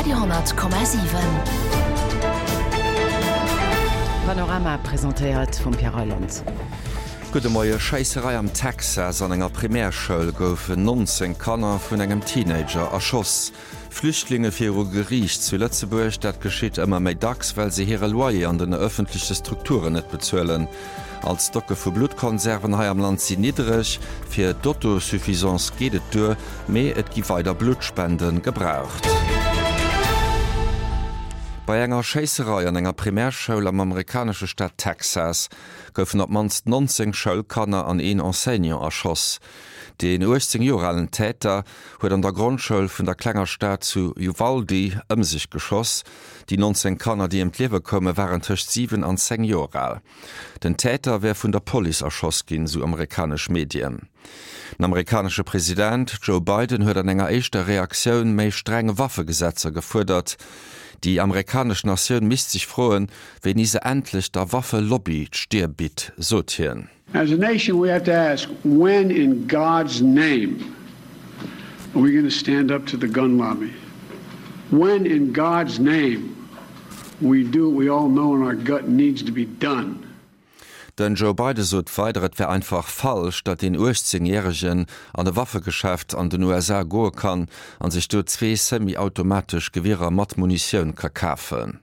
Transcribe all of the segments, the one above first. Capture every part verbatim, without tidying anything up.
Radio honnert Komma siwen. Panorama presentéiert vum Pierre Reyland. Gudde Moie, Schéisserei am Texas, An enger Primärschoul goufen nonzéng Kanner vun engem Teenager erschoss. Flüchtlinge viru Geriicht zu Lëtzebuerg, dat geschitt ëmmer méi dacks, well se hire Loyer an den ëffentleche Strukturen net bezuelen. All d'Stocke vu Bluttkonserven hei am Land sinn niddreg. Fir d'Autosuffisance geet et duer, mee et gi weider Bluttspende gebraucht. Bei enger Schéisserei an enger Primärschoul am amerikanesche Staat Texas goufen op d'mannst nonzéng Schoulkanner an een Enseignant erschoss. Deen uechtzéng Joer alen Täter huet an der Grondschoul vun der klenger Stad zu Uvalde ëm sech geschoss. Déi nonzéng Kanner, déi ëm d'Liewe koume, waren tëscht siwen an zéng Joer al. Den Täter wär vun der Police erschoss ginn, sou amerikanesch Medien. Den amerikanesche President Joe Biden huet an enger éischter Reaktioun méi streng Waffegesetzer gefuerdert. Déi amerikanesch Natioun misst sech froen, wéini se endlech der Waffelobby d'Stier bitt, sot hien. As a nation we have to ask, when in God's name are we gonna stand up to the gun lobby? When in God's name we do what we all know in our gut needs to be done? Den Joe Biden sot weider, et wär einfach falsch, datt een uechtzéng Järegen an e Waffegeschäft an den U S A goe kann an sech do zwee semi-automatesch Gewierer mat Munitioun ka kafen.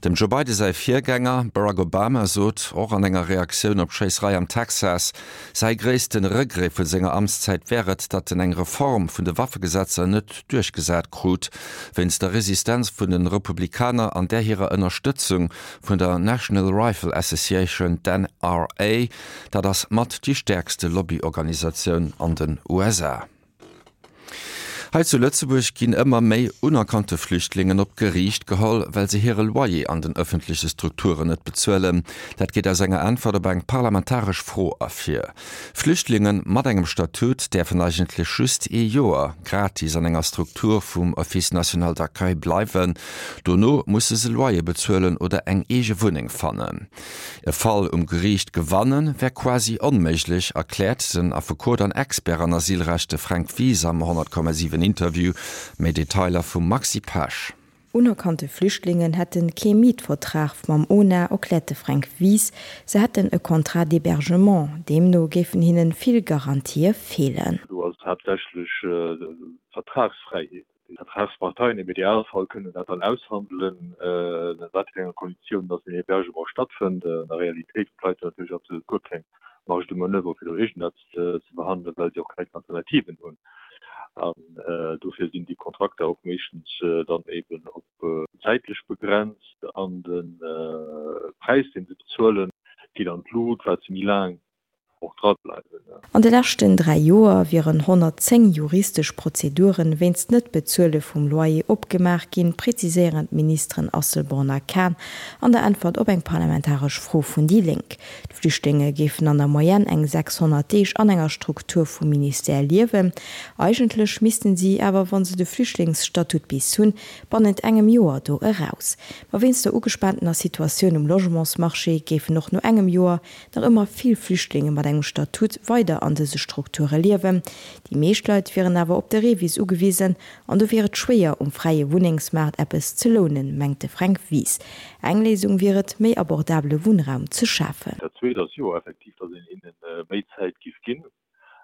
Dem Joe Biden säi Virgänger Barack Obama sot och an enger Reaktioun op d'Schéisserei am Texas, säi gréisste Regret vu senger Amtszäit wär et, datt en eng Reform vun de Waffegesetzer net duerchgesat krut, wéinst der Resistenz vun de Republikaner an där hirer Ënnerstëtzung vun der National Rifle Association, d'N R A. Dat ass mat déi stäerkste Lobbyorganisatioun an den U S A. Hei zu Lëtzebuerg ginn ëmmer méi unerkannte Flüchtlingen op d'Geriicht geholl, well se hire Loyer an den ëffentleche Strukturen net bezuelen. Dat geet aus enger Äntwert op eng parlamentaresch Fro ervir. Flüchtlinge mat engem Statut däerfen eigentlech just ee Joer gratis an enger Struktur vum Office national d'accueil bleiwen. Dono musse se Loyer bezuelen oder eng eege Wunneng fannen. E Fall um Geriicht gewannen wär quasi onméiglech, erkläert den Affekot an Expert an Asylrechte Fränk Wies am honnert Komma siwen Interview. Méi Detailer vum Maxi Pesch. Unerkannte Flüchtlingen hätten kee Mietvertrag mam O N A, erkläert de Fränk Wies. Se hätten e Contrat d'hébergement. Deemno géifen hinnen vill Garantië feelen. Du hast haaptsächlech, äh, Vertragsfreiheet. Die Vertragsparteien im Idealfall können dat dann aushandeln, äh, in wat fir enger Konditioun, dass den Hébergement stattfindet. In der Realität bleibt natürlich absolut guer keng Marge de Manöver fir do irgendetwas ze, ze behandeln, well sie auch keine Alternativen hunn. An, äh, dofir sinn déi Kontrakter och meeschtens, äh, dann eben op, äh, zeitlich begrenzt an den, äh, Preis, den se bezuelen, geht an d'Lut, wat se méi laang och dra bleiwen, ne? An de leschten dräi Joer wieren honnertzéng juristesch Prozeduren wéinst net Bezuele vum Loyer opgemaach ginn, präziséieren d'Ministeren Asselborn a Kahn an der Äntwert op eng parlamentaresch Fro vun déi Lénk. D'Flüchtlinge géifen an der Moyenne eng sechshonnert Deeg an enger Struktur vum Ministère liewen. Eigentlech missten sie awer, wann se de Flüchtlingsstatut bis hunn, bannent engem Joer do eraus. Ma wéinst der ugespaantener Situatioun um Logementsmarché géifen och no engem Joer nach ëmmer vill Flüchtlinge mat engem Statut weider an dëse Strukture liewen. Déi meescht Leit wieren awer op de Revis ugewisen an do wier et schwéier, um fräie Wunnengsmaart eppes ze lounen, mengt de Fränk Wies. Eng Léisung wier et, méi abordable Wunnraum ze schafen. Dat zweet ass jo effektiv, datt een hinnen, äh, méi Zäit giff ginn.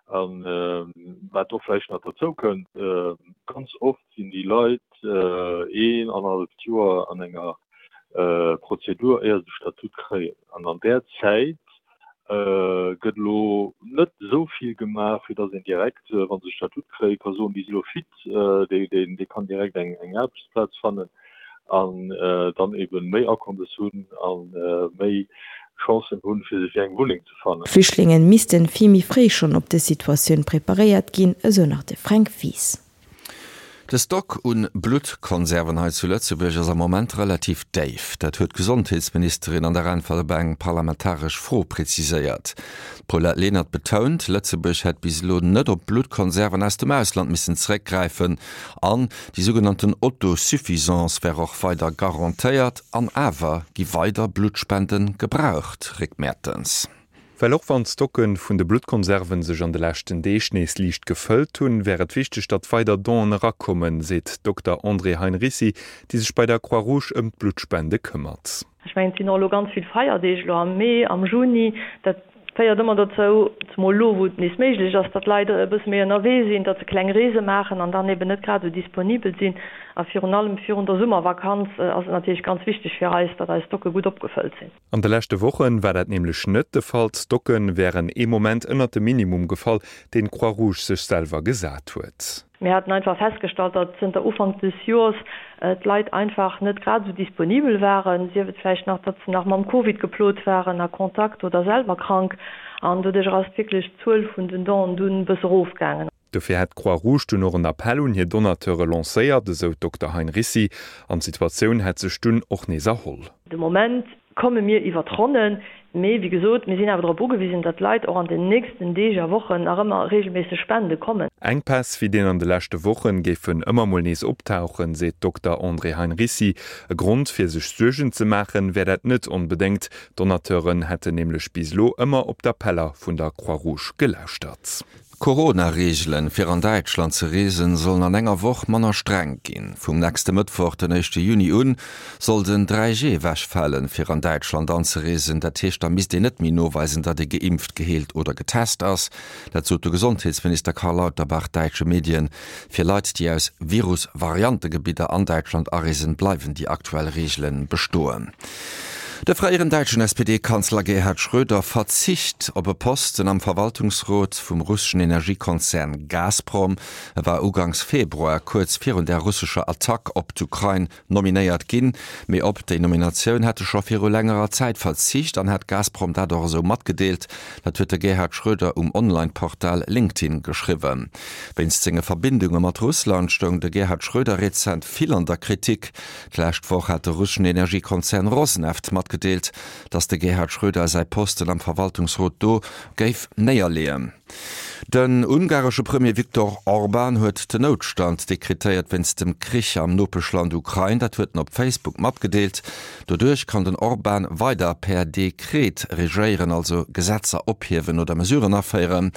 An, äh, wat och vläicht nach dozou kënnt, äh, ganz oft sinn déi Leit, äh, een, anderthalb Joer an enger, äh, Prozedur, éier se de Statut kréien. An an där Zäit, äh, gëtt lo net so vill gemaach, fir datt een direkt, äh, wann se Statut kréien, kann soen, déi si lo fit, äh, déi, déi, déi kann direkt eng, eng Aarbechtsplaz fannen an, äh, dann eben méi Akommes hunn an, äh, méi Chancen hunn, fir sech eng Wunneng ze fannen. Flüchtlingen missten vill méi fréi schonn op dës Situatioun preparéiert ginn, esou nach de Fränk Wies. De Stock un Bluttkonserven hei zu Lëtzebuerg ass am Moment relativ déif. Dat huet d'Gesondheetsministerin an der Äntwert op eng parlamentaresch Fro präziséiert. Paulette Lenert betount, Lëtzebuerg hätt bis elo net op Bluttkonserven aus dem Ausland missen zréckgräifen an déi sougenannten Autosuffisance wär och weider garantéiert an awer gi weider Blutspenden gebraucht, Rick Mertens. Well och wann d'Stocke vun de Bluttkonserven sech an de leschten Deeg nees liicht gefëllt hunn, wär et wichteg, datt weider Donen erakommen, seet d'Dokter Andrée Heinricy, déi sech bei der Croix-Rouge ëm d'Bluttspende këmmert. Ech mengen, et sinn och elo ganz vill Feierdeeg elo am Mee, am Juni. Dat féiert ëmmer dozou, zemol elo, wou et nees méiglech ass, datt d'Leit e bësse méi ënnerwee sinn, datt se kleng Reese maachen an dann eben net grad esou disponibel sinn. A virun allem virun der Summervakanz ass et natierlech ganz wichteg fir eis, datt eis Stocke gutt opgefëllt sinn. An de leschte Woche war dat nämlech net de Fall. D'Stocke wären ee Moment ënnert de Minimum gefall, deen d'Croix-Rouge sech selwer gesat huet. Mir haten einfach festgestallt, datt zënter Ufank des Joers d'Leit einfach net grad esou disponibel waren, sief et vläicht nach, datt se nach mam Covid geplot waren, a Kontakt oder selwer krank. An doduerch ass wierklech d'Zuel vun den Donen dunn e bësse erofgaangen. Dofir hätt d'Croix-Rouge dunn och en Appell un hir Donateure lancéiert, esou d'Dokter Heinricy, an d'Situatioun hätt sech dunn och nees erholl. De Moment komme mir iwwer d'Ronnen, mee wéi gesot, mir sinn awer drop ugewisen, datt d'Leit och an den nächsten Deeg a Wochen nach ëmmer reegelméisseg spende kommen. Enkpäss wéi deen an de leschte Wochen géifen ëmmer mol nees optauchen, seet d'Dokter Andrée Heinricy. E Grond fir sech Suergen ze maachen, wär dat net onbedéngt. D'Donateuren hätten nämlech bis elo ëmmer op d'Appeller vun der Croix-Rouge gelauschtert. D'Corona-Reegelen, fir an Däitschland ze reesen, sollen an enger Woch manner streng ginn. Vum nächste Mëttwoch, den éischte Juni un, soll den dräi G ewechfalen, fir an Däitschland anzereesen. Dat heescht, da misst een net méi noweisen, datt ee geimpft, geheelt oder getest ass. Dat sot de Gesondheetsminister Karl Lauterbach däitsche Medien. Fir Leit, déi aus Virus-Variantegebidder an Däitschland areesen, bleiwen déi aktuell Reegele bestoen. De fréieren däitschen S P D-Kanzler Gerhard Schröder verzicht op e Posten am Verwaltungsrot vum russeschen Energiekonzern Gazprom. E war uganks Februar, kuerz virun der russescher Attack op d'Ukrain, nominéiert ginn. Mee op déi Nominatioun hätt e scho viru längerer Zäit verzicht an hätt Gazprom dat och esou matgedeelt. Dat huet de Gerhard Schröder um Online-Portal LinkedIn geschriwwen. Wéinst senge Verbindunge mat Russland stoung de Gerhard Schröder rezent vill an der Kritik. D'lescht Woch hat de russeschen Energiekonzern Rosneft matgedeelt, datt de Gerhard Schröder säi Posten am Verwaltungsrot do géif néierleeën. Den ungaresche Premier Viktor Orban huet den Noutstand dekretéiert wéinst dem Krich am Nopeschland Ukrain. Dat huet en op Facebook matgedeelt. Doduerch kann den Orban weider per Dekret regéieren, also Gesetzer ophiewen oder Mesuren aféieren.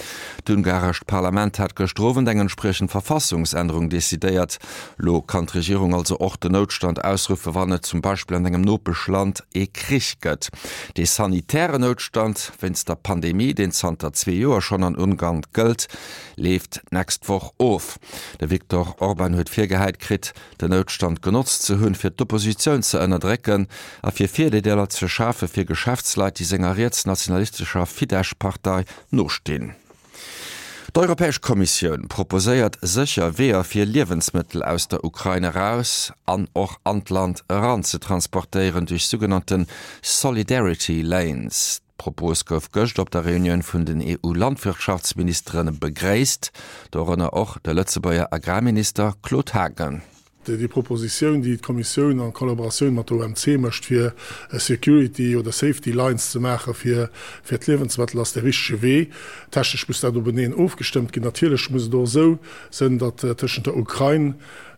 D'ungarescht Parlament hat gëschter Owend eng entspriechend Verfassungsännerung decidéiert. Lo kann d'Regierung also och den Noutstand ausruffe, wann et zum Beispill an engem Nopeschland ee Krich gëtt. Dee sanitären Noutstand wéinst der Pandemie, deen zanter zwee Joer schonn an Ungarn gëllt, leeft d'nächst Woch of. De Viktor Orban huet virgehäit kritt, den Noutstand genotzt ze hunn, fir d'Oppositioun ze ënnerdrécken a fir Virdeeler ze schafe fir Geschäftsleit, déi senger rietsnationalistescher Fidesz-Partei nostinn. D'Europäesch Kommissioun proposéiert sécher Weeër fir Liewensmëttel aus der Ukrain eraus an och an d'Land eran ze transportéieren duerch sougenannte Solidarity Lanes. D'Propos gouf gëscht op der Reunioun vun den E U-Landwirtschaftsministere begréisst, dorënner och de Lëtzebuerger Agrarminister Claude Haagen. Déi Propositioun, déi d'Kommissioun an Kollaboratioun mat der O M C mécht, fir Security oder Safety Lines ze maache fir, fir d'Liewensmëttel, ass de richtege Wee. Technesch muss dat openeen ofgestëmmt ginn. Natierlech muss et och esou sinn, datt tëschent der Ukrain,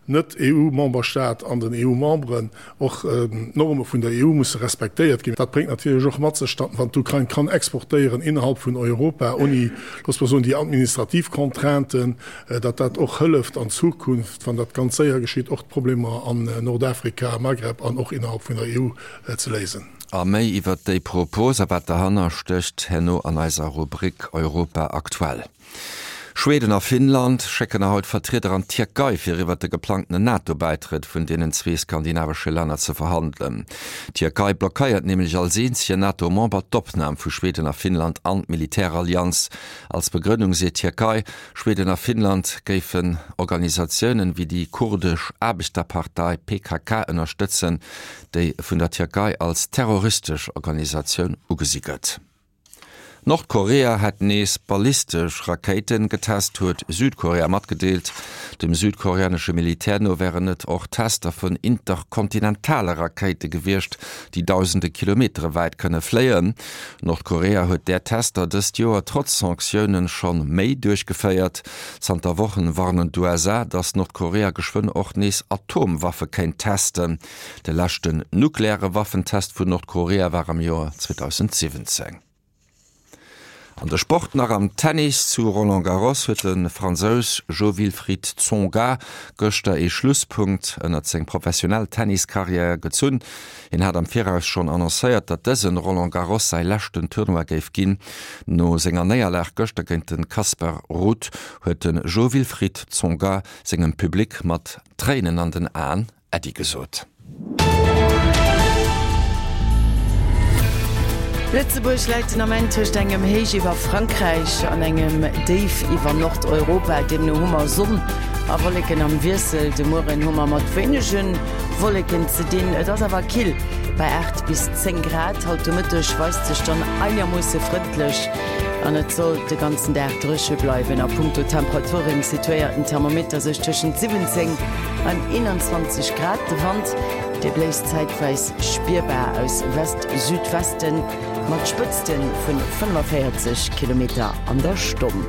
net E U-Memberstaat an den E U-Memberen och d'Norme vun der E U musse respektéiert ginn. Dat bréngt natierlech och mat sech, datt wann d'Ukrain kann exportéieren innerhalb vun Europa, ouni, looss mer soen, déi administrativ Contrainten, datt dat och hëlleft an Zukunft, wann dat ganz séier geschitt, och d'Problemer an Nordafrika, Maghreb an och innerhalb vun der E U ze léisen. A méi iwwer déi Propos a wat dahanner stécht, herno an eiser Rubrik Europa aktuell. Schweden a Finnland schécken haut Vertrieder an d'Tierkei fir iwwer de geplangten NATO-Bäitrëtt vun deenen zwee skandinavesche Länner ze verhandelen. D'Tierkei blockéiert nämlech als eenzege NATO-Member d'Opnam vu Schweden a Finnland an d'Militärallianz. Als Begrënnung seet d'Tierkei, Schweden a Finnland géifen Organisatiounen wéi déi kurdesch Aarbechterpartei P K K ënnerstëtzen, déi vun der Tierkei als terroristesch Organisatioun ugesi gëtt. Nordkorea hat nees ballistesch Rakéiten getest, huet Südkorea matgedeelt. Dem südkoreanesche Militär no wären et och Tester vun interkontinentale Rakéite gewiescht, déi dausende Kilometere wäit kënne fléien. Nordkorea huet där Tester dëst Joer trotz Sanktiounen schonn méi duerchgeféiert. Zanter Wochen warnen d'U S A, datt Nordkorea geschwënn och nees Atomwaffe kéint testen. De leschten nukleare Waffentest vun Nordkorea war am Joer zweedausendsiwwenzéng. An de Sport nach am Tennis zu Roland Garros huet de Fransous Jo-Wilfried Tsonga gëschter ee Schlusspunkt ënnert seng professionell Tenniskarriär gezunn. Hien hat am Viraus schonn annoncéiert, datt dësen Roland Garros säi leschten Tournoi géif ginn. No senger Néierlag gëschter géint de Casper Ruud huet de Jo-Wilfried Tsonga sengem Public mat Tréinen an den Aen Äddi gesot. Lëtzebuerg läit den Ament tëscht engem Héich iwwer Frankräich an engem Déif iwwer Nordeuropa. Deemno hu mer Sonn a Wolleken am Wiessel. De Mueren hu mer mat wéinege Wolleken ze dinn, et ass awer kill bei aacht bis zéng Grad. Haut de Mëtteg weist sech dann einermoosse frëndlech an et soll de ganzen Dag dréche bleiwen. A punkto Temperaturen situéiert den Thermometer sech tëschent siwwenzéng an eenanzwanzeg Grad. De Wand, dee bléist zäitweis spierbar aus West-Südwesten mat Spëtzte vun fënnefaféierzeg Kilometer an der Stonn.